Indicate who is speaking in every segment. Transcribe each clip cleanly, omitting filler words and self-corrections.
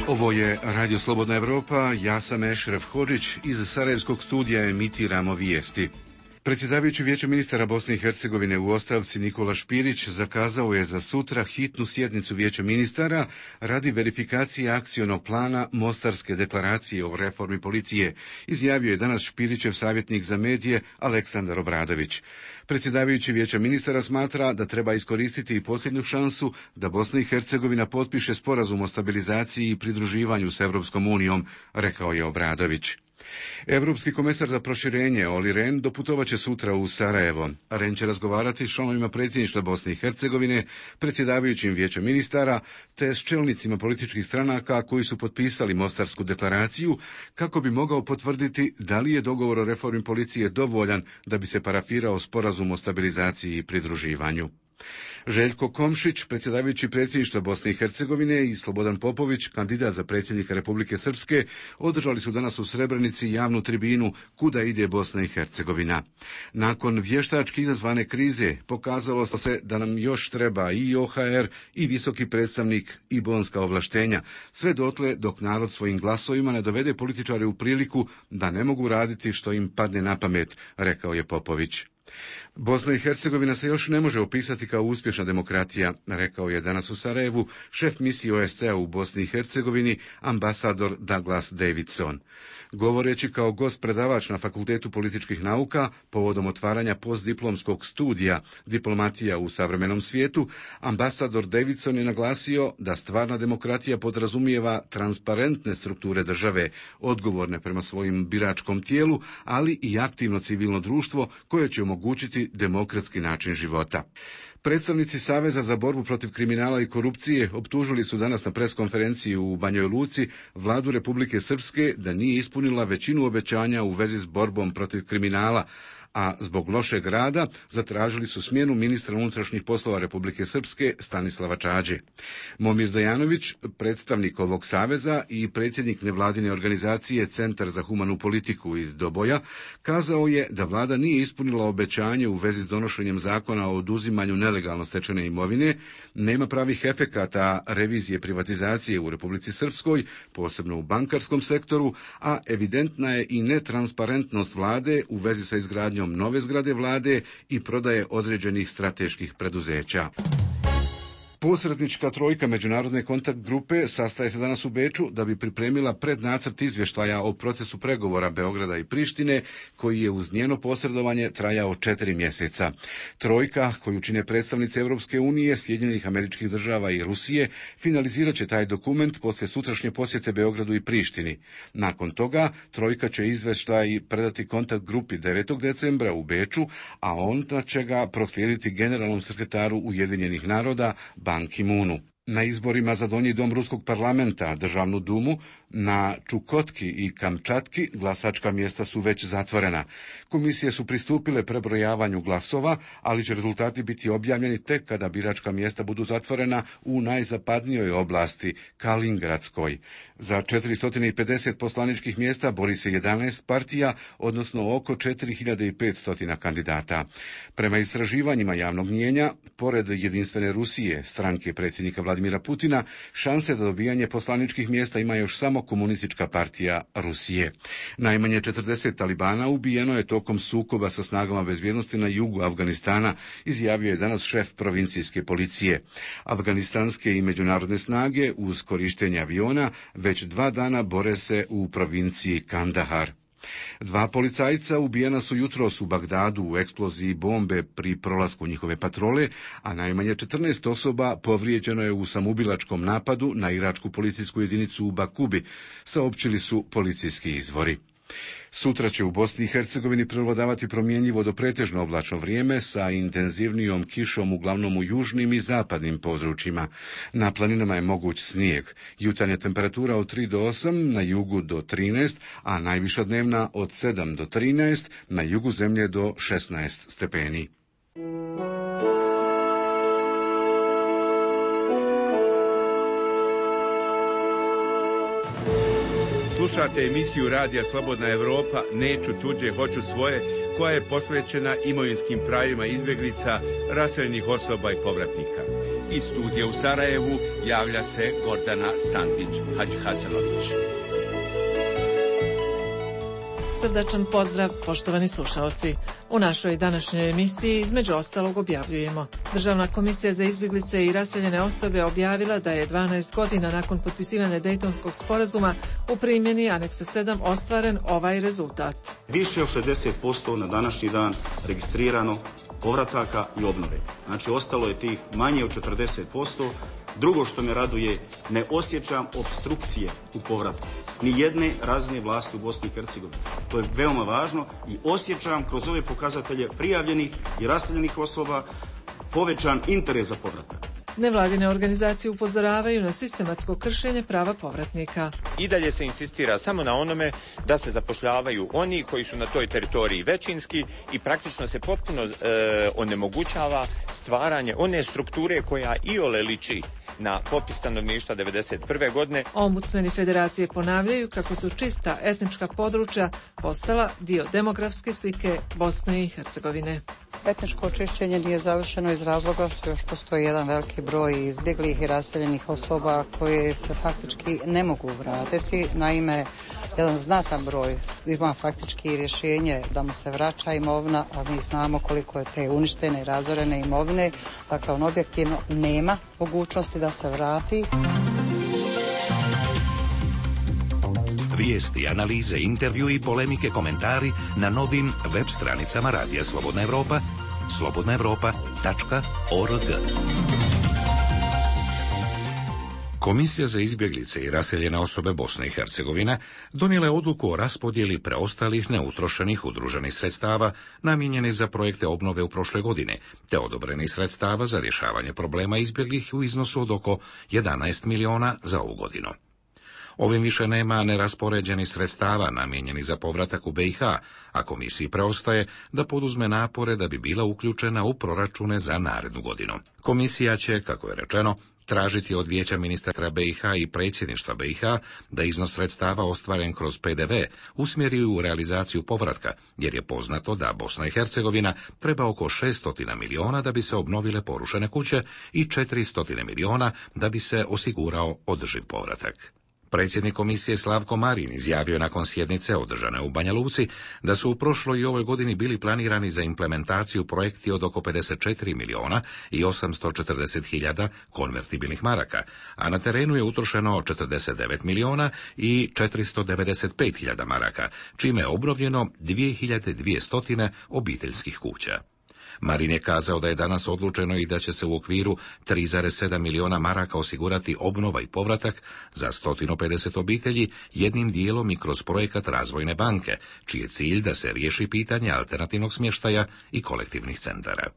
Speaker 1: Ovo je Radio Slobodna Evropa, ja sam Ešref Hodžić, iz Sarajevskog studija emitiramo vijesti. Predsjedavajući Vijeće ministara Bosne i Hercegovine u ostavci Nikola Špirić zakazao je za sutra hitnu sjednicu Vijeća ministara radi verifikacije akcionog plana Mostarske deklaracije o reformi policije, izjavio je danas Špirićev savjetnik za medije Aleksandar Obradović. Predsjedavajući Vijeća ministara smatra da treba iskoristiti i posljednju šansu da Bosna i Hercegovina potpiše sporazum o stabilizaciji i pridruživanju s Europskom unijom, rekao je Obradović. Europski komesar za proširenje Olli Rehn doputovat će sutra u Sarajevo. Rehn će razgovarati s članovima predsjedništva Bosne i Hercegovine, predsjedavajućim Vijećem ministara, te s čelnicima političkih stranaka koji su potpisali Mostarsku deklaraciju, kako bi mogao potvrditi da li je dogovor o reformi policije dovoljan da bi se parafirao sporazum o stabilizaciji i pridruživanju. Željko Komšić, predsjedavajući predsjedništva Bosne i Hercegovine, i Slobodan Popović, kandidat za predsjednika Republike Srpske, održali su danas u Srebrenici javnu tribinu Kuda ide Bosna i Hercegovina. Nakon vještački izazvane krize pokazalo se da nam još treba i OHR i visoki predstavnik i bonska ovlaštenja, sve dotle dok narod svojim glasovima ne dovede političare u priliku da ne mogu raditi što im padne na pamet, rekao je Popović. Bosna i Hercegovina se još ne može opisati kao uspješna demokratija, rekao je danas u Sarajevu šef misije OSCE-a u Bosni i Hercegovini, ambasador Douglas Davidson. Govoreći kao gost predavač na Fakultetu političkih nauka povodom otvaranja postdiplomskog studija Diplomatija u savremenom svijetu, ambasador Davidson je naglasio da stvarna demokratija podrazumijeva transparentne strukture države, odgovorne prema svojim biračkom tijelu, ali i aktivno civilno društvo koje će omogućiti demokratski način života. Predstavnici Saveza za borbu protiv kriminala i korupcije optužili su danas na preskonferenciji u Banjoj Luci vladu Republike Srpske da nije ispunila većinu obećanja u vezi s borbom protiv kriminala, a zbog lošeg rada zatražili su smjenu ministra unutrašnjih poslova Republike Srpske Stanislava Čađe. Momir Dejanović, predstavnik ovog saveza i predsjednik nevladine organizacije Centar za humanu politiku iz Doboja, kazao je da vlada nije ispunila obećanje u vezi s donošenjem zakona o oduzimanju nelegalno stečene imovine, nema pravih efekata revizije privatizacije u Republici Srpskoj, posebno u bankarskom sektoru, a evidentna je i netransparentnost vlade u vezi sa izgradnjom nove zgrade vlade i prodaje određenih strateških preduzeća. Posrednička trojka međunarodne kontakt grupe sastaje se danas u Beču da bi pripremila prednacrt izvještaja o procesu pregovora Beograda i Prištine, koji je uz njeno posredovanje trajao 4 mjeseca. Trojka, koju čine predstavnice Europske unije, Sjedinjenih Američkih Država i Rusije, finalizirat će taj dokument poslije sutrašnje posjete Beogradu i Prištini. Nakon toga, trojka će izvještaj predati kontakt grupi 9. decembra u Beču, a onda će ga proslijediti generalnom sekretaru Ujedinjenih naroda Ban Ki-moonu. Na izborima za donji dom ruskog parlamenta, državnu dumu, na Čukotki i Kamčatki glasačka mjesta su već zatvorena. Komisije su pristupile prebrojavanju glasova, ali će rezultati biti objavljeni tek kada biračka mjesta budu zatvorena u najzapadnijoj oblasti, Kalingradskoj. Za 450 poslaničkih mjesta bori se 11 partija, odnosno oko 4500 kandidata. Prema istraživanjima javnog mnijenja, pored Jedinstvene Rusije, stranke predsjednika Vladimira Putina, šanse za dobijanje poslaničkih mjesta ima još samo Komunistička partija Rusije. Najmanje 40 talibana ubijeno je tokom sukoba sa snagama bezbjednosti na jugu Afganistana, izjavio je danas šef provincijske policije. Afganistanske i međunarodne snage uz korištenje aviona već 2 dana bore se u provinciji Kandahar. 2 policajca ubijena su jutros u Bagdadu u eksploziji bombe pri prolasku njihove patrole, a najmanje 14 osoba povrijeđeno je u samoubilačkom napadu na iračku policijsku jedinicu u Bakubi, saopćili su policijski izvori. Sutra će u Bosni i Hercegovini prevladavati promjenjivo do pretežno oblačno vrijeme sa intenzivnijom kišom uglavnom u južnim i zapadnim područjima. Na planinama je moguć snijeg. Jutarnja temperatura od 3 do 8, na jugu do 13, a najviša dnevna od 7 do 13, na jugu zemlje do 16 stepeni.
Speaker 2: Slušate emisiju Radija Slobodna Evropa, Neću tuđe, hoću svoje, koja je posvećena imovinskim pravima izbjeglica, raseljenih osoba i povratnika. Iz studija u Sarajevu javlja se Gordana Sandić-Hadžihasanović.
Speaker 3: Srdačan pozdrav, poštovani slušaoci. U našoj današnjoj emisiji između ostalog objavljujemo. Državna komisija za izbjeglice i raseljene osobe objavila da je 12 godina nakon potpisivanja Dejtonskog sporazuma u primjeni aneksa 7 ostvaren ovaj rezultat.
Speaker 4: Više od 60% na današnji dan registrirano povrataka i obnove. Znači, ostalo je tih manje od 40%. Drugo što me raduje, ne osjećam opstrukcije u povratku ni jedne razine vlasti u Bosni i Hercegovini. To je veoma važno i osjećam kroz ove pokazatelje prijavljenih i raseljenih osoba povećan interes za povratak.
Speaker 3: Nevladine organizacije upozoravaju na sistematsko kršenje prava povratnika.
Speaker 5: I dalje se insistira samo na onome da se zapošljavaju oni koji su na toj teritoriji većinski i praktično se potpuno onemogućava stvaranje one strukture koja iole liči na popis stanovništva 1991. godine.
Speaker 3: Ombudsmeni federacije ponavljaju kako su čista etnička područja postala dio demografske slike Bosne i Hercegovine.
Speaker 6: Etničko očišćenje nije završeno iz razloga što još postoji jedan veliki broj izbjeglih i raseljenih osoba koje se faktički ne mogu vratiti. Naime, jedan znatan broj ima faktički rješenje da mu se vraća imovina, a mi znamo koliko je te uništene i razorene imovine. Dakle, on objektivno nema mogućnosti da se vrati.
Speaker 7: Vijesti, analize, intervju i polemike, komentari na novim web stranicama Radija Slobodna Evropa, slobodnaevropa.org. Komisija za izbjeglice i raseljene osobe Bosne i Hercegovine donijela je odluku o raspodjeli preostalih neutrošenih udruženih sredstava namijenjenih za projekte obnove u prošloj godini, te odobrenih sredstava za rješavanje problema izbjeglih u iznosu od oko 11 miliona za ovu godinu. Ovim više nema neraspoređenih sredstava namijenjenih za povratak u BiH, a komisiji preostaje da poduzme napore da bi bila uključena u proračune za narednu godinu. Komisija će, kako je rečeno, tražiti od Vijeća ministara BiH i predsjedništva BiH da iznos sredstava ostvaren kroz PDV usmjeri u realizaciju povratka, jer je poznato da Bosna i Hercegovina treba oko 600 miliona da bi se obnovile porušene kuće i 400 miliona da bi se osigurao održiv povratak. Predsjednik komisije Slavko Marin izjavio nakon sjednice održane u Banja Luci da su u prošloj i ovoj godini bili planirani za implementaciju projekti od oko 54 miliona i 840 hiljada konvertibilnih maraka, a na terenu je utrošeno 49 miliona i 495 hiljada maraka, čime je obnovljeno 2200 obiteljskih kuća. Marin je kazao da je danas odlučeno i da će se u okviru 3,7 miliona maraka osigurati obnova i povratak za 150 obitelji, jednim dijelom i kroz projekat Razvojne banke, čiji je cilj da se riješi pitanje alternativnog smještaja i kolektivnih centara.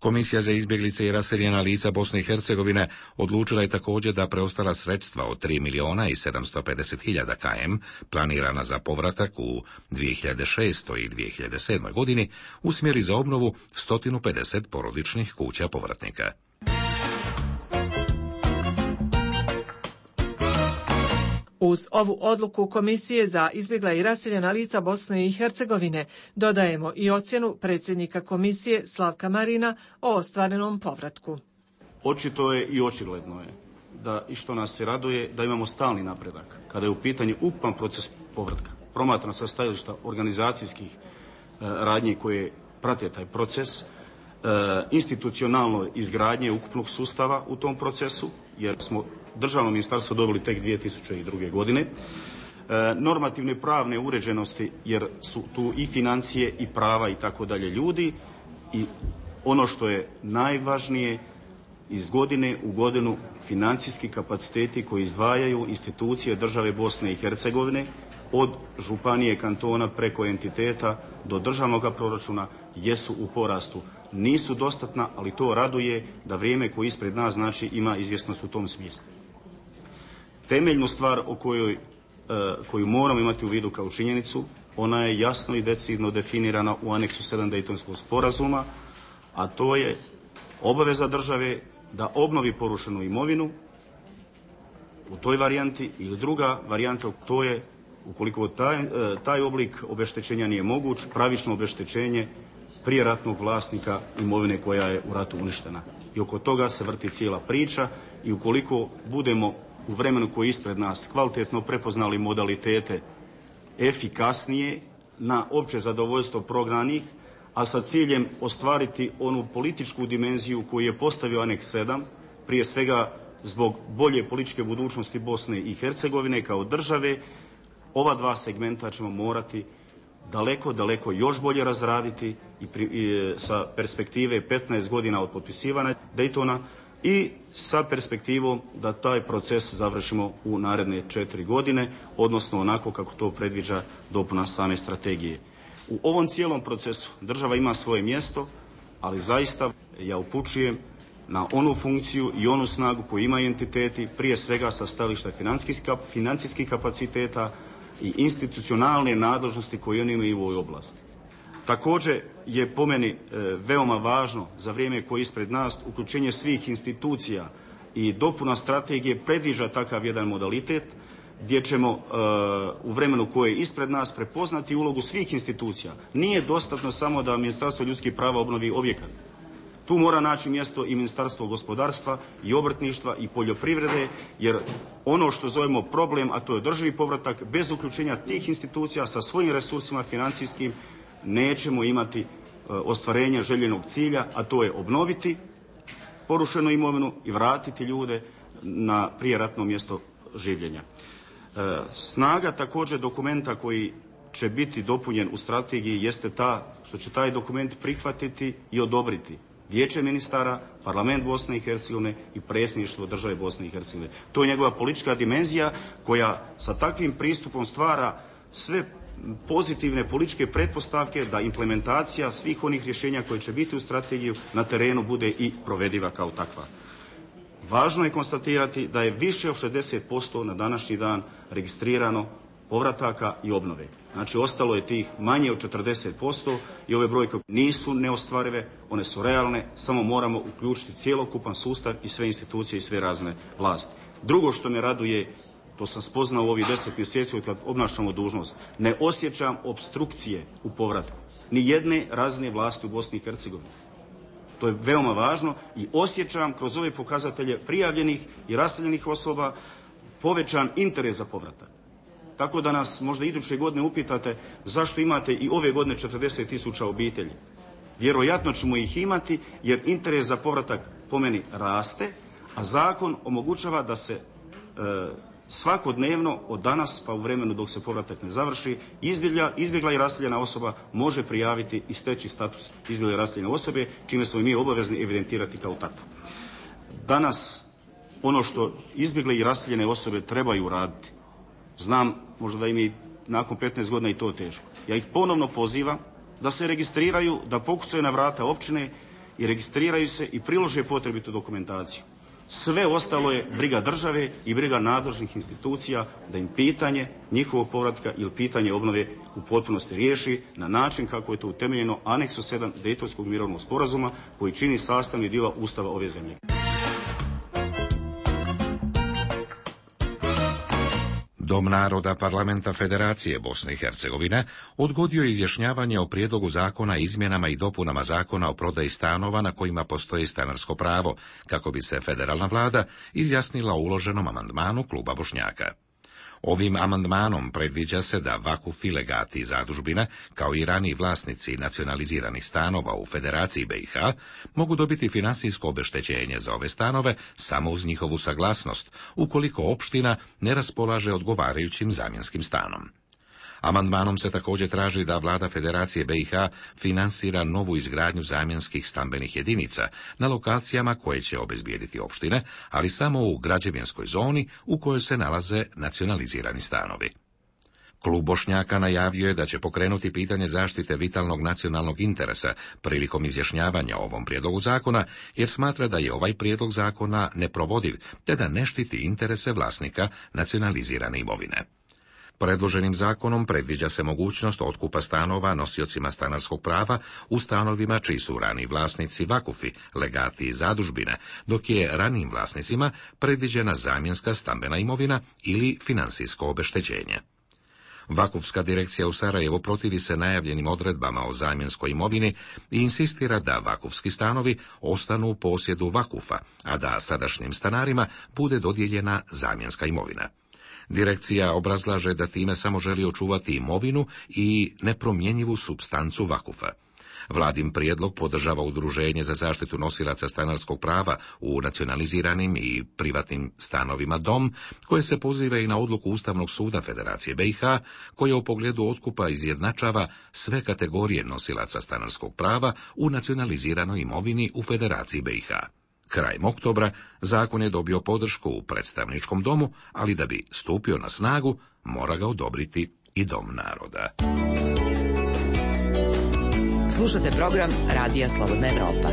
Speaker 7: Komisija za izbjeglice i raseljena lica Bosne i Hercegovine odlučila je također da preostala sredstva od 3 miliona i 750 hiljada km planirana za povratak u 2006. i 2007. godini usmjeri za obnovu 150 porodičnih kuća povratnika.
Speaker 3: Uz ovu odluku Komisije za izbjegla i raseljena lica Bosne i Hercegovine dodajemo i ocjenu predsjednika komisije Slavka Marina o ostvarenom povratku.
Speaker 4: Očito je i očigledno je da, i što nas se raduje, da imamo stalni napredak kada je u pitanju ukupan proces povratka. Promatrano sa stajališta organizacijskih radnji koje prate taj proces, institucionalno izgradnje ukupnog sustava u tom procesu, jer smo državno ministarstvo dobili tek 2002. godine, normativne pravne uređenosti, jer su tu i financije i prava i tako dalje ljudi, i ono što je najvažnije, iz godine u godinu financijski kapaciteti koji izdvajaju institucije države Bosne i Hercegovine, od županije, kantona, preko entiteta do državnog proračuna, jesu u porastu. Nisu dostatna, ali to raduje da vrijeme koje ispred nas znači ima izvjesnost u tom smislu. Temeljnu stvar o koju moramo imati u vidu kao činjenicu, ona je jasno i decidno definirana u aneksu 7 Dejtonskog sporazuma, a to je obaveza države da obnovi porušenu imovinu u toj varijanti, ili druga varijanta, to je ukoliko taj oblik obeštećenja nije moguć, pravično obeštećenje prijeratnog vlasnika imovine koja je u ratu uništena. I oko toga se vrti cijela priča i ukoliko budemo u vremenu koje je ispred nas kvalitetno prepoznali modalitete efikasnije na opće zadovoljstvo prognanih, a sa ciljem ostvariti onu političku dimenziju koju je postavio Aneks 7, prije svega zbog bolje političke budućnosti Bosne i Hercegovine kao države, ova dva segmenta ćemo morati daleko još bolje razraditi i sa perspektive 15 godina od potpisivanja Daytona i sa perspektivom da taj proces završimo u naredne 4 godine, odnosno onako kako to predviđa dopuna same strategije. U ovom cijelom procesu država ima svoje mjesto, ali zaista ja upućujem na onu funkciju i onu snagu koju imaju entiteti, prije svega sa stajališta financijskih kapaciteta i institucionalne nadležnosti koje oni imaju u ovoj oblasti. Također je po meni veoma važno za vrijeme koje je ispred nas uključenje svih institucija i dopuna strategije predviđa takav jedan modalitet gdje ćemo u vremenu koje je ispred nas prepoznati ulogu svih institucija. Nije dostatno samo da Ministarstvo ljudskih prava obnovi objekat. Tu mora naći mjesto i Ministarstvo gospodarstva i obrtništva i poljoprivrede, jer ono što zovemo problem, a to je održivi povratak, bez uključenja tih institucija sa svojim resursima financijskim nećemo imati ostvarenje željenog cilja, a to je obnoviti porušenu imovinu i vratiti ljude na prijeratno mjesto življenja. Snaga također dokumenta koji će biti dopunjen u strategiji jeste ta što će taj dokument prihvatiti i odobriti Vijeće ministara, Parlament Bosne i Hercegovine i predsjedništvo države Bosne i Hercegovine. To je njegova politička dimenzija koja sa takvim pristupom stvara sve pozitivne političke pretpostavke da implementacija svih onih rješenja koje će biti u strategiju na terenu bude i provediva kao takva. Važno je konstatirati da je više od 60% na današnji dan registrirano povrataka i obnove. Znači, ostalo je tih manje od 40% i ove brojke nisu neostvarive, one su realne, samo moramo uključiti cjelokupan sustav i sve institucije i sve razne vlasti. Drugo što me raduje, to sam spoznao u ovih 10 mjeseci od kad obnašamo dužnost, ne osjećam opstrukcije u povratku ni jedne razine vlasti u Bosni i Hercegovini. To je veoma važno i osjećam kroz ove pokazatelje prijavljenih i raseljenih osoba povećan interes za povratak. Tako da nas možda iduće godine upitate zašto imate i ove godine 40.000 obitelji. Vjerojatno ćemo ih imati jer interes za povratak po meni raste, a zakon omogućava da se svakodnevno od danas pa u vremenu dok se povratak ne završi izbjegla i raseljena osoba može prijaviti i steći status izbjegle i raseljene osobe, čime smo i mi obavezni evidentirati kao takvu. Danas ono što izbjegle i raseljene osobe trebaju raditi, znam možda da im je nakon 15 godina i to teško. Ja ih ponovno pozivam da se registriraju, da pokucaju na vrata općine i registriraju se i prilože potrebitu dokumentaciju. Sve ostalo je briga države i briga nadležnih institucija da im pitanje njihovog povratka ili pitanje obnove u potpunosti riješi na način kako je to utemeljeno Aneksu 7 Dejtonskog mirovnog sporazuma koji čini sastavni dio Ustava ove zemlje.
Speaker 7: Dom naroda Parlamenta Federacije Bosne i Hercegovine odgodio je izjašnjavanje o prijedlogu zakona izmjenama i dopunama zakona o prodaji stanova na kojima postoji stanarsko pravo, kako bi se federalna vlada izjasnila o uloženom amandmanu kluba Bošnjaka. Ovim amandmanom predviđa se da vakufi, legati i zadužbine, kao i raniji vlasnici nacionaliziranih stanova u Federaciji BiH, mogu dobiti financijsko obeštećenje za ove stanove samo uz njihovu saglasnost, ukoliko opština ne raspolaže odgovarajućim zamjenskim stanom. Amandmanom se također traži da vlada Federacije BiH finansira novu izgradnju zamjenskih stambenih jedinica na lokacijama koje će obezbijediti opštine, ali samo u građevinskoj zoni u kojoj se nalaze nacionalizirani stanovi. Klub Bošnjaka najavio je da će pokrenuti pitanje zaštite vitalnog nacionalnog interesa prilikom izjašnjavanja o ovom prijedlogu zakona, jer smatra da je ovaj prijedlog zakona neprovodiv, te da ne štiti interese vlasnika nacionalizirane imovine. Predloženim zakonom predviđa se mogućnost otkupa stanova nosiocima stanarskog prava u stanovima čiji su raniji vlasnici vakufi, legati i zadužbine, dok je ranijim vlasnicima predviđena zamjenska stambena imovina ili financijsko obeštećenje. Vakufska direkcija u Sarajevu protivi se najavljenim odredbama o zamjenskoj imovini i insistira da vakufski stanovi ostanu u posjedu vakufa, a da sadašnjim stanarima bude dodijeljena zamjenska imovina. Direkcija obrazlaže da time samo želi očuvati imovinu i nepromjenjivu supstancu vakufa. Vladin prijedlog podržava Udruženje za zaštitu nosilaca stanarskog prava u nacionaliziranim i privatnim stanovima Dom, koje se poziva i na odluku Ustavnog suda Federacije BiH, koja u pogledu otkupa izjednačava sve kategorije nosilaca stanarskog prava u nacionaliziranoj imovini u Federaciji BiH. Krajem oktobra zakon je dobio podršku u predstavničkom domu, ali da bi stupio na snagu, mora ga odobriti i Dom naroda.
Speaker 8: Slušate program Radija Slobodna Evropa.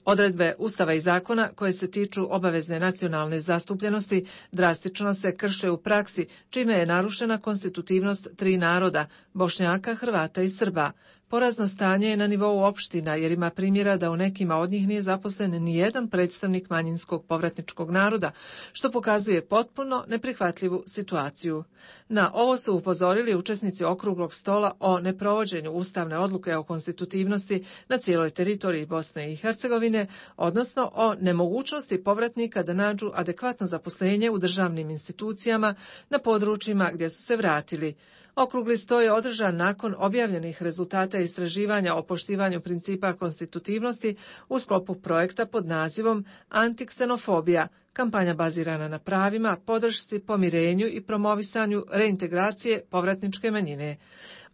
Speaker 3: Odredbe Ustava i zakona koje se tiču obavezne nacionalne zastupljenosti drastično se krše u praksi, čime je narušena konstitutivnost tri naroda, Bošnjaka, Hrvata i Srba. Porazno stanje je na nivou opština, jer ima primjera da u nekima od njih nije zaposlen ni jedan predstavnik manjinskog povratničkog naroda, što pokazuje potpuno neprihvatljivu situaciju. Na ovo su upozorili učesnici okruglog stola o neprovođenju ustavne odluke o konstitutivnosti na cijeloj teritoriji Bosne i Hercegovine, odnosno o nemogućnosti povratnika da nađu adekvatno zaposlenje u državnim institucijama na područjima gdje su se vratili. Okrugli sto je održan nakon objavljenih rezultata istraživanja o poštivanju principa konstitutivnosti u sklopu projekta pod nazivom Antiksenofobija, kampanja bazirana na pravima, podršci, pomirenju i promovisanju reintegracije povratničke manjine.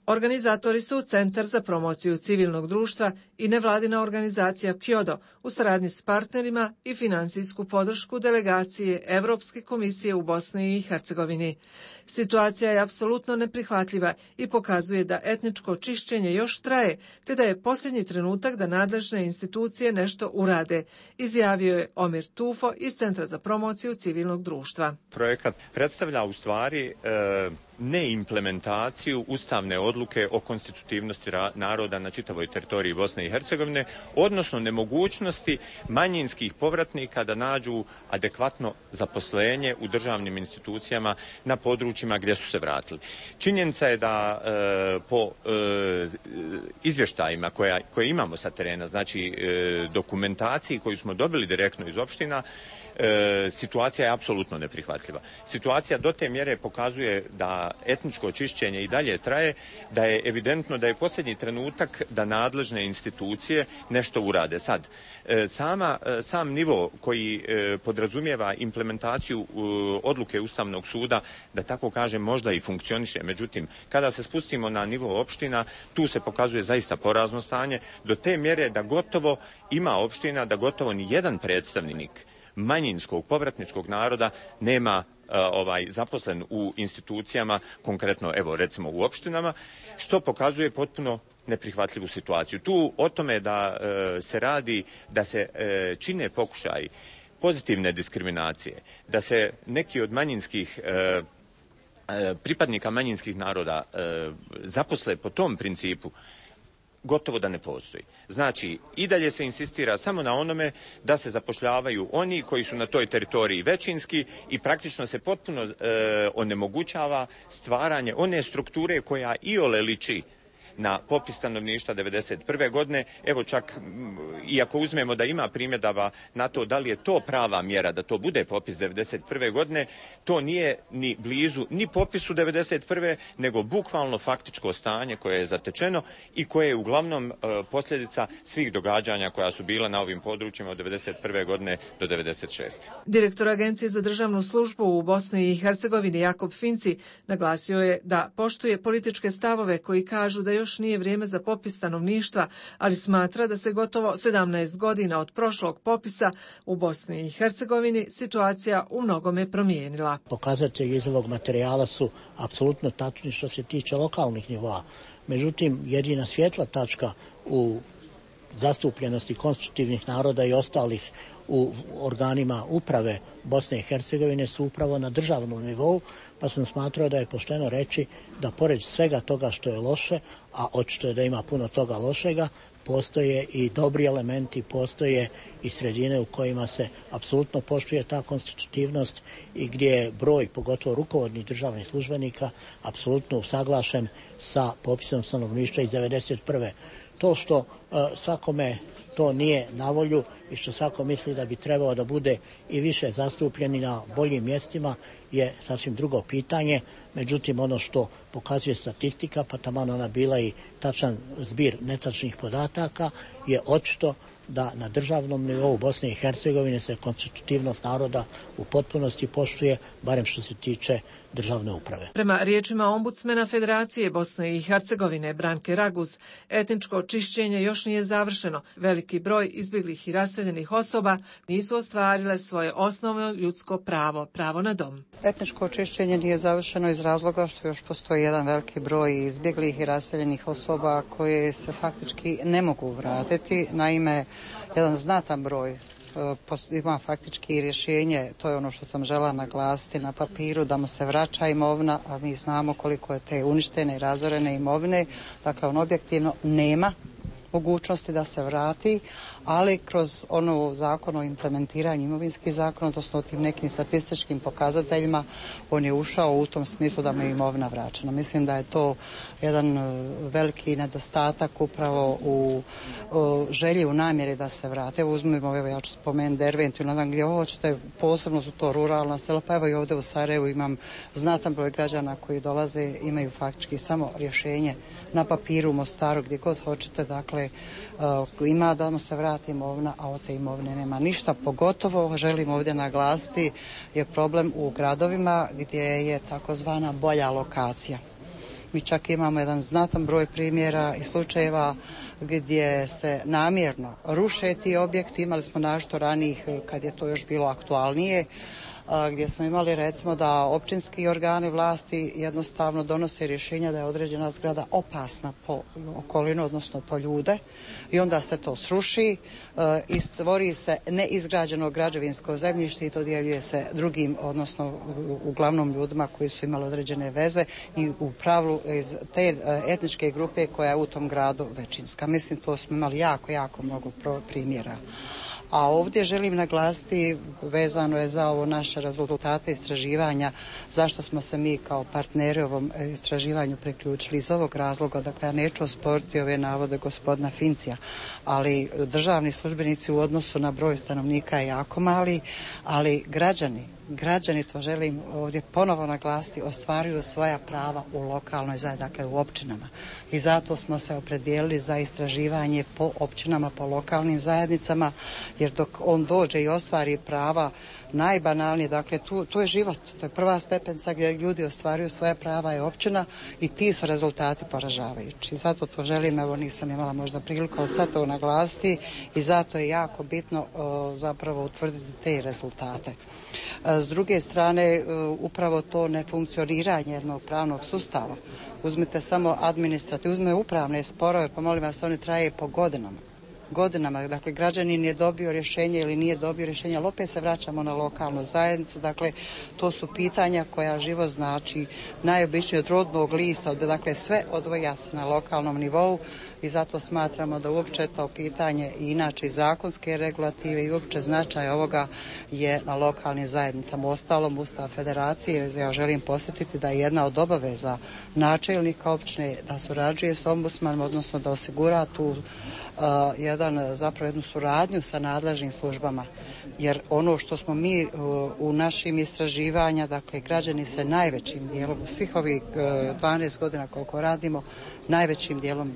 Speaker 3: Organizatori su Centar za promociju civilnog društva i nevladina organizacija Kyodo u saradnji s partnerima i finansijsku podršku delegacije Evropske komisije u Bosni i Hercegovini. Situacija je apsolutno neprihvatljiva i pokazuje da etničko čišćenje još traje, te da je posljednji trenutak da nadležne institucije nešto urade, izjavio je Omir Tufo iz Centra za promociju civilnog društva.
Speaker 5: Projekat predstavlja u stvari neimplementaciju ustavne odluke o konstitutivnosti naroda na čitavoj teritoriji Bosne i Hercegovine, odnosno nemogućnosti manjinskih povratnika da nađu adekvatno zaposlenje u državnim institucijama na područjima gdje su se vratili. Činjenica je da po izvještajima koje imamo sa terena, znači dokumentaciji koju smo dobili direktno iz opština, situacija je apsolutno neprihvatljiva. Situacija do te mjere pokazuje da etničko čišćenje i dalje traje, da je evidentno da je posljednji trenutak da nadležne institucije nešto urade. Sad, sam nivo koji podrazumijeva implementaciju odluke Ustavnog suda, da tako kažem, možda i funkcioniše. Međutim, kada se spustimo na nivo opština, tu se pokazuje zaista porazno stanje, do te mjere da gotovo ima opština, da gotovo ni jedan predstavnik manjinskog povratničkog naroda nema zaposlen u institucijama, konkretno evo recimo u opštinama, što pokazuje potpuno neprihvatljivu situaciju. Tu o tome da se radi, da se čine pokušaji pozitivne diskriminacije, da se neki od manjinskih pripadnika manjinskih naroda zaposle po tom principu, gotovo da ne postoji. Znači, i dalje se insistira samo na onome da se zapošljavaju oni koji su na toj teritoriji većinski i praktično se potpuno onemogućava stvaranje one strukture koja iole liči na popis stanovništva 1991. godine. Evo čak, iako uzmemo da ima primjedaba na to da li je to prava mjera da to bude popis 1991. godine, to nije ni blizu ni popisu 1991. nego bukvalno faktičko stanje koje je zatečeno i koje je uglavnom posljedica svih događanja koja su bila na ovim područjima od 1991. godine do 1996.
Speaker 3: Direktor Agencije za državnu službu u Bosni i Hercegovini Jakob Finci naglasio je da poštuje političke stavove koji kažu da još nije vrijeme za popis stanovništva, ali smatra da se gotovo 17 godina od prošlog popisa u Bosni i Hercegovini situacija u mnogome promijenila.
Speaker 9: Pokazatelji iz ovog materijala su apsolutno tačni što se tiče lokalnih nivoa. Međutim, jedina svjetla tačka u zastupljenosti konstitutivnih naroda i ostalih u organima uprave Bosne i Hercegovine su upravo na državnom nivou, pa sam smatrao da je pošteno reći da pored svega toga što je loše, a očito je da ima puno toga lošega, postoje i dobri elementi, postoje i sredine u kojima se apsolutno poštuje ta konstitutivnost i gdje je broj, pogotovo rukovodnih državnih službenika, apsolutno usaglašen sa popisom stanovništva iz 1991. To što svakome to nije na volju i što svako misli da bi trebao da bude i više zastupljeni na boljim mjestima je sasvim drugo pitanje. Međutim, ono što pokazuje statistika, pa taman ona bila i tačan zbir netačnih podataka, je očito da na državnom nivou Bosne i Hercegovine se konstitutivnost naroda u potpunosti poštuje, barem što se tiče državne uprave.
Speaker 3: Prema riječima ombudsmena Federacije Bosne i Hercegovine Branke Raguz, etničko čišćenje još nije završeno. Veliki broj izbjeglih i raseljenih osoba nisu ostvarile svoje osnovno ljudsko pravo, pravo na dom.
Speaker 6: Etničko čišćenje nije završeno iz razloga što još postoji jedan veliki broj izbjeglih i raseljenih osoba koje se faktički ne mogu vratiti. Naime, jedan znatan broj ima faktički rješenje, to je ono što sam žela naglasiti na papiru, da mu se vraća imovina, a mi znamo koliko je te uništene i razorene imovine, dakle on objektivno nema mogućnosti da se vrati, ali kroz ono zakon o implementiranju imovinskih zakona, odnosno tim nekim statističkim pokazateljima, on je ušao u tom smislu da mu je imovina vraćena. Mislim da je to jedan veliki nedostatak upravo u želji, u namjeri da se vrate. Uzmimo, evo ja ću spomenuti Derventu, ne znam gdje hoćete, posebno su to ruralna sela, pa evo i ovdje u Sarajevu imam znatan broj građana koji dolaze, imaju faktički samo rješenje na papiru, u Mostaru, gdje god hoćete, dakle ima da mu se vrati imovina, a od te imovine nema ništa. Pogotovo želim ovdje naglasiti je problem u gradovima gdje je takozvana bolja lokacija. Mi čak imamo jedan znatan broj primjera i slučajeva gdje se namjerno ruše ti objekti. Imali smo našto ranijih kad je to još bilo aktualnije, gdje smo imali recimo da općinski organi vlasti jednostavno donose rješenja da je određena zgrada opasna po okolinu, odnosno po ljude, i onda se to sruši i stvori se neizgrađeno građevinsko zemljište i dodjeljuje se drugim, odnosno uglavnom ljudima koji su imali određene veze i u pravilu iz te etničke grupe koja je u tom gradu većinska. Mislim, to smo imali jako mnogo primjera. A ovdje želim naglasiti, vezano je za ovo naše rezultate istraživanja, zašto smo se mi kao partneri ovom istraživanju priključili. Iz ovog razloga, dakle ja neću osporiti ove navode gospodina Fincija, ali državni službenici u odnosu na broj stanovnika je jako mali, ali građani, to želim ovdje ponovo naglasiti, ostvaruju svoja prava u lokalnoj zajednici, dakle u općinama. I zato smo se opredijelili za istraživanje po općinama, po lokalnim zajednicama, jer dok on dođe i ostvari prava najbanalnije, dakle tu je život, to je prva stepenca gdje ljudi ostvaruju svoja prava je općina i ti su rezultati poražavajući. Zato to želim, evo nisam imala možda priliku, ali sad to naglasiti i zato je jako bitno zapravo utvrditi te rezultate. S druge strane, upravo to nefunkcioniranje jednog pravnog sustava. Uzmite samo administrativne, uzme upravne sporove, pa molim vas, oni traje po godinama, dakle građanin je dobio rješenje ili nije dobio rješenje, ali opet se vraćamo na lokalnu zajednicu, dakle to su pitanja koja život znači najobičnije od rodnog lista, dakle sve odvija se na lokalnom nivou i zato smatramo da uopće to pitanje i inače i zakonske regulative i uopće značaj ovoga je na lokalnim zajednicama. Uostalom, Ustav Federacije, ja želim posjetiti da je jedna od obaveza načelnika općine da surađuje s ombudsmanom, odnosno da osigura tu jednu suradnju sa nadležnim službama, jer ono što smo mi u našim istraživanja, dakle građani se najvećim dijelom u svih ovih 12 godina koliko radimo, najvećim dijelom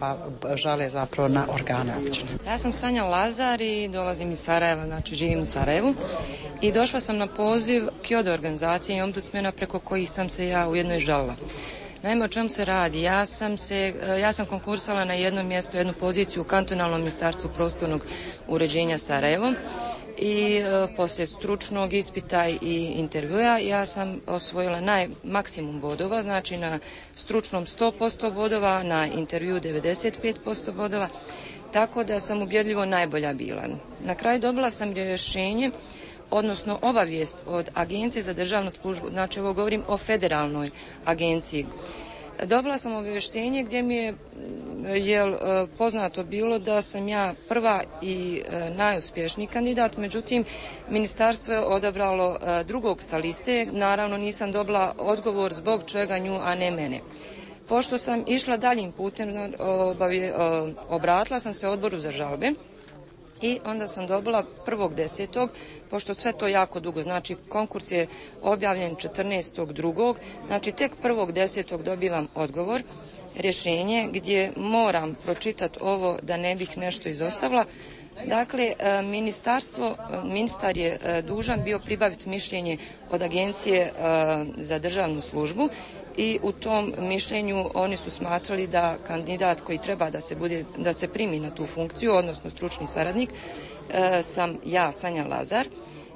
Speaker 6: žale zapravo na organe općine.
Speaker 10: Ja sam Sanja Lazar i dolazim iz Sarajeva, znači živim u Sarajevu i došla sam na poziv KIODO organizacije i ombudsmena preko kojih sam se ja ujedno i žalila. Naime, o čemu se radi? Ja sam konkursala na jednom mjestu, jednu poziciju u kantonalnom ministarstvu prostornog uređenja Sarajevo i poslije stručnog ispita i intervjua ja sam osvojila maksimum bodova, znači na stručnom 100% bodova, na intervju 95% bodova, tako da sam ubjedljivo najbolja bila. Na kraju dobila sam rješenje, odnosno obavijest od Agencije za državnu službu, znači ovo govorim o federalnoj agenciji. Dobila sam obavještenje gdje mi je poznato bilo da sam ja prva i najuspješniji kandidat, međutim ministarstvo je odabralo drugog sa liste, naravno nisam dobila odgovor zbog čega nju, a ne mene. Pošto sam išla daljim putem, obratila sam se odboru za žalbe i onda sam dobila 1.10. pošto sve to jako dugo, znači konkurs je objavljen 14.2. znači tek 1.10. dobivam odgovor, rješenje gdje moram pročitati ovo da ne bih nešto izostavila. Dakle, ministar je dužan bio pribaviti mišljenje od Agencije za državnu službu i u tom mišljenju oni su smatrali da kandidat koji treba da se primi na tu funkciju, odnosno stručni saradnik, sam ja, Sanja Lazar.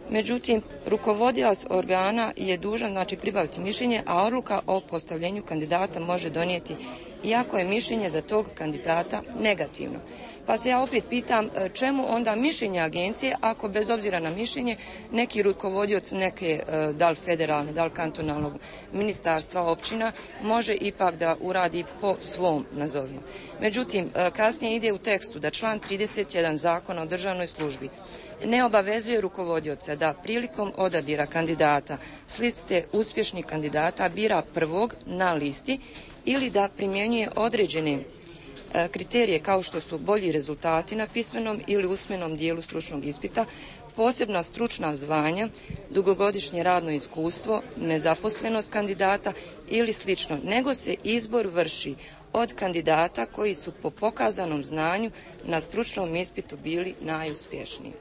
Speaker 10: Međutim, rukovodilac organa je dužan znači pribaviti mišljenje, a odluka o postavljenju kandidata može donijeti iako je mišljenje za tog kandidata negativno. Pa se ja opet pitam čemu onda mišljenje agencije ako bez obzira na mišljenje neki rukovodioc neke da li federalne, da li kantonalnog ministarstva, općina može ipak da uradi po svom nazovimo. Međutim, kasnije ide u tekstu da član 31 Zakona o državnoj službi ne obavezuje rukovodioca da prilikom odabira kandidata s liste uspješnih kandidata bira prvog na listi ili da primjenjuje određene kriterije kao što su bolji rezultati na pismenom ili usmenom dijelu stručnog ispita, posebna stručna zvanja, dugogodišnje radno iskustvo, nezaposlenost kandidata ili slično, nego se izbor vrši od kandidata koji su po pokazanom znanju na stručnom ispitu bili najuspješniji.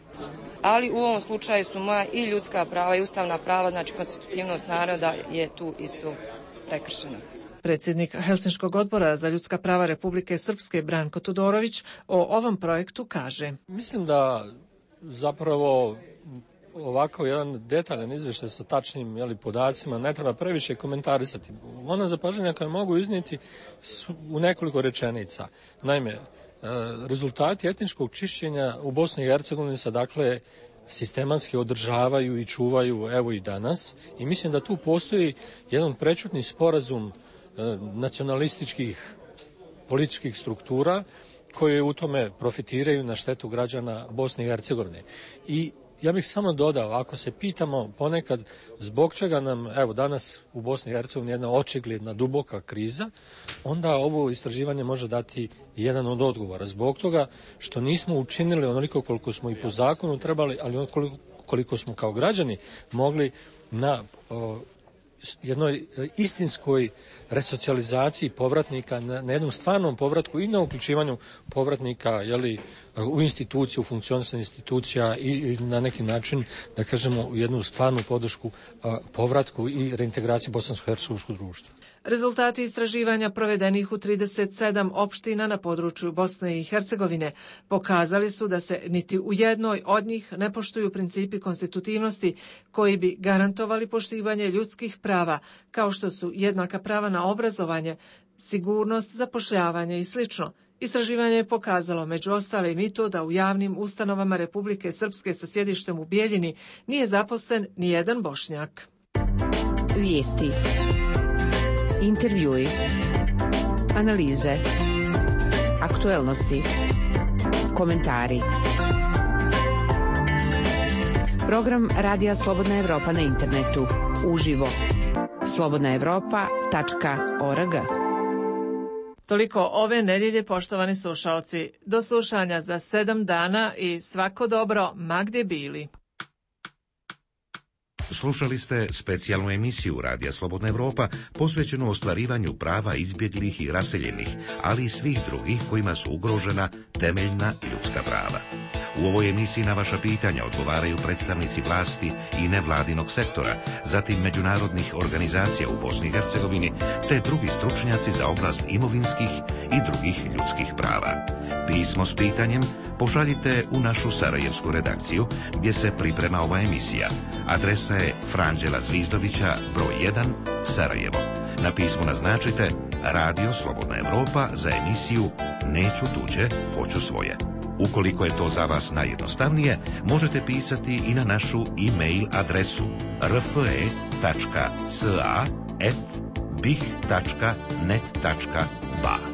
Speaker 10: Ali u ovom slučaju su moja i ljudska prava i ustavna prava, znači konstitutivnost naroda je tu isto prekršena.
Speaker 3: Predsjednik Helsinškog odbora za ljudska prava Republike Srpske Branko Tudorović o ovom projektu kaže:
Speaker 11: Mislim da zapravo ovako jedan detaljan izvještaj sa tačnim podacima ne treba previše komentarisati. Ona zapažanja koje mogu iznijeti u nekoliko rečenica. Naime, rezultati etničkog čišćenja u Bosni i Hercegovini se dakle sistematski održavaju i čuvaju evo i danas i mislim da tu postoji jedan prečutni sporazum nacionalističkih političkih struktura koje u tome profitiraju na štetu građana Bosne i Hercegovine. I ja bih samo dodao, ako se pitamo ponekad zbog čega nam evo danas u Bosni i Hercegovini jedna očigledna duboka kriza, onda ovo istraživanje može dati jedan od odgovora. Zbog toga što nismo učinili onoliko koliko smo i po zakonu trebali, ali koliko smo kao građani mogli na jednoj istinskoj resocijalizaciji povratnika, na jednom stvarnom povratku i na uključivanju povratnika u instituciju, u funkcionisanje institucija i na neki način, da kažemo, u jednu stvarnu podršku povratku i reintegraciji bosansko-hercegovskog društva.
Speaker 3: Rezultati istraživanja provedenih u 37 opština na području Bosne i Hercegovine pokazali su da se niti u jednoj od njih ne poštuju principi konstitutivnosti koji bi garantovali poštivanje ljudskih prava, kao što su jednaka prava na obrazovanje, sigurnost, zapošljavanje i sl. Istraživanje je pokazalo među ostalim i to da u javnim ustanovama Republike Srpske sa sjedištem u Bijeljini nije zaposlen ni jedan Bošnjak.
Speaker 8: Vijesti, intervjui, analize, aktuelnosti, komentari. Program Radija Slobodna Evropa na internetu, uživo, slobodnaevropa.org.
Speaker 3: Toliko ove nedjelje, poštovani slušalci. Do slušanja za 7 dana i svako dobro, ma gdje bili.
Speaker 7: Slušali ste specijalnu emisiju Radija Slobodna Evropa posvećenu ostvarivanju prava izbjeglih i raseljenih, ali i svih drugih kojima su ugrožena temeljna ljudska prava. U ovoj emisiji na vaša pitanja odgovaraju predstavnici vlasti i nevladinog sektora, zatim međunarodnih organizacija u Bosni i Hercegovini, te drugi stručnjaci za oblast imovinskih i drugih ljudskih prava. Pismo s pitanjem pošaljite u našu sarajevsku redakciju gdje se priprema ova emisija. Adresa je Franđela Zvizdovića, broj 1, Sarajevo. Na pismu naznačite Radio Slobodna Evropa za emisiju Neću tuđe, hoću svoje. Ukoliko je to za vas najjednostavnije, možete pisati i na našu e-mail adresu rfe.sa@bih.net.ba.